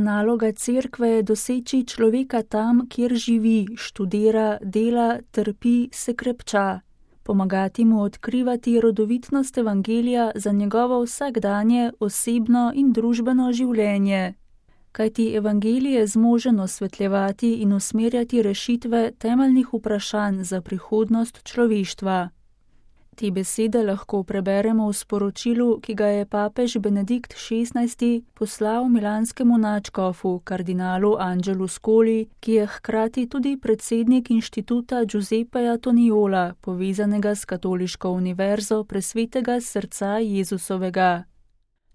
Naloga cerkve je doseči človeka tam, kjer živi, študira, dela, trpi, se krepča. Pomagati mu odkrivati rodovitnost evangelija za njegovo vsakdanje, osebno in družbeno življenje. Kajti evangelij je zmožen osvetljevati in usmerjati rešitve temeljnih vprašanj za prihodnost človeštva. Te besede lahko preberemo v sporočilu, ki ga je papež Benedikt XVI poslal milanskemu nadškofu, kardinalu Angelu Scoli, ki je hkrati tudi predsednik inštituta Giuseppeja Toniola, povezanega s Katoliško univerzo Presvetega srca Jezusovega.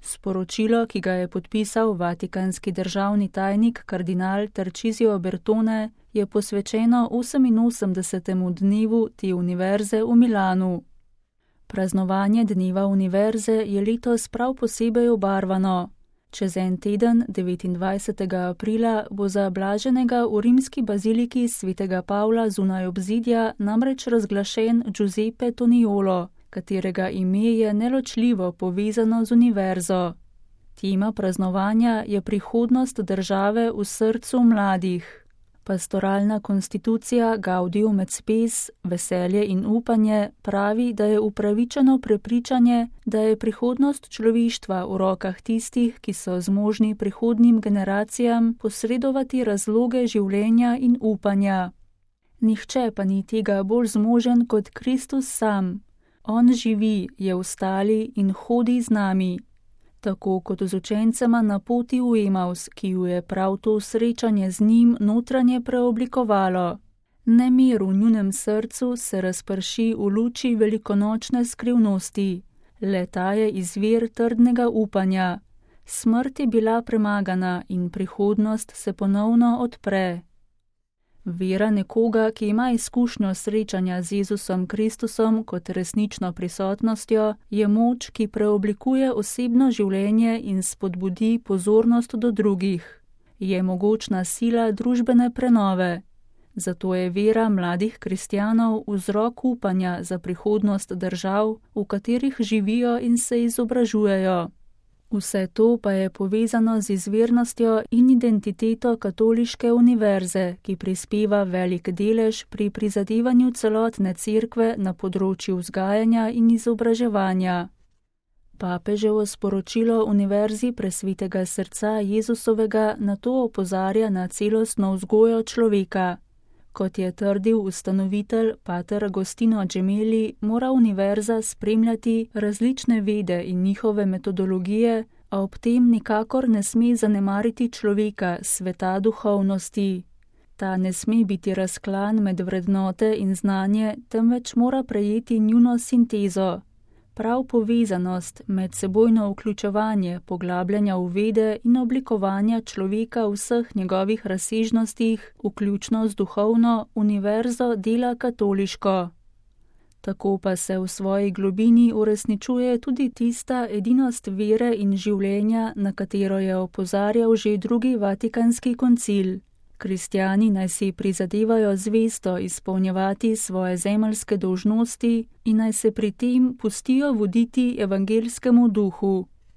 Sporočilo, ki ga je podpisal vatikanski državni tajnik kardinal Tarcisio Bertone, je posvečeno 88. dnevu te univerze v Milanu. Praznovanje dneva univerze je letos prav posebej obarvano. Čez en teden, 29. aprila, bo za blaženega v rimski baziliki svetega Pavla zunaj obzidja namreč razglašen Giuseppe Toniolo, katerega ime je neločljivo povezano z univerzo. Tema praznovanja je prihodnost države v srcu mladih. Pastoralna konstitucija Gaudium et Spes, veselje in upanje, pravi, da je upravičeno prepričanje, da je prihodnost človeštva v rokah tistih, ki so zmožni prihodnjim generacijam posredovati razloge življenja in upanja. Nihče pa ni tega bolj zmožen kot Kristus sam. On živi, je vstali in hodi z nami. Tako kot z učencema na poti v Emaus, ki ju je prav to srečanje z njim notranje preoblikovalo. Nemir v njunem srcu se razprši v luči velikonočne skrivnosti. Le ta je izvir trdnega upanja. Smrt je bila premagana in prihodnost se ponovno odpre. Vera nekoga, ki ima izkušnjo srečanja z Jezusom Kristusom kot resnično prisotnostjo, je moč, ki preoblikuje osebno življenje in spodbudi pozornost do drugih. Je mogočna sila družbene prenove. Zato je vera mladih kristjanov vzrok upanja za prihodnost držav, v katerih živijo in se izobražujejo. Vse to pa je povezano z izvirnostjo in identiteto Katoliške univerze, ki prispeva velik delež pri prizadevanju celotne cerkve na področju vzgajanja in izobraževanja. Papeževo sporočilo Univerzi Presvetega srca Jezusovega na to opozarja na celostno vzgojo človeka. Kot je trdil ustanovitelj pater Agostino Gemelli, mora univerza spremljati različne vede in njihove metodologije, a ob tem nikakor ne sme zanemariti človeka, sveta duhovnosti. Ta ne sme biti razklan med vrednote in znanje, temveč mora prejeti njuno sintezo. Prav povezanost, medsebojno vključevanje, poglabljanja v vede in oblikovanja človeka v vseh njegovih razsežnostih, vključno z duhovno, univerzo dela katoliško. Tako pa se v svoji globini uresničuje tudi tista edinost vere in življenja, na katero je opozarjal že drugi vatikanski koncil. Kristjani naj si prizadevajo zvesto izpolnjevati svoje zemeljske dolžnosti in naj se pri tem pustijo voditi evangeljskemu duhu.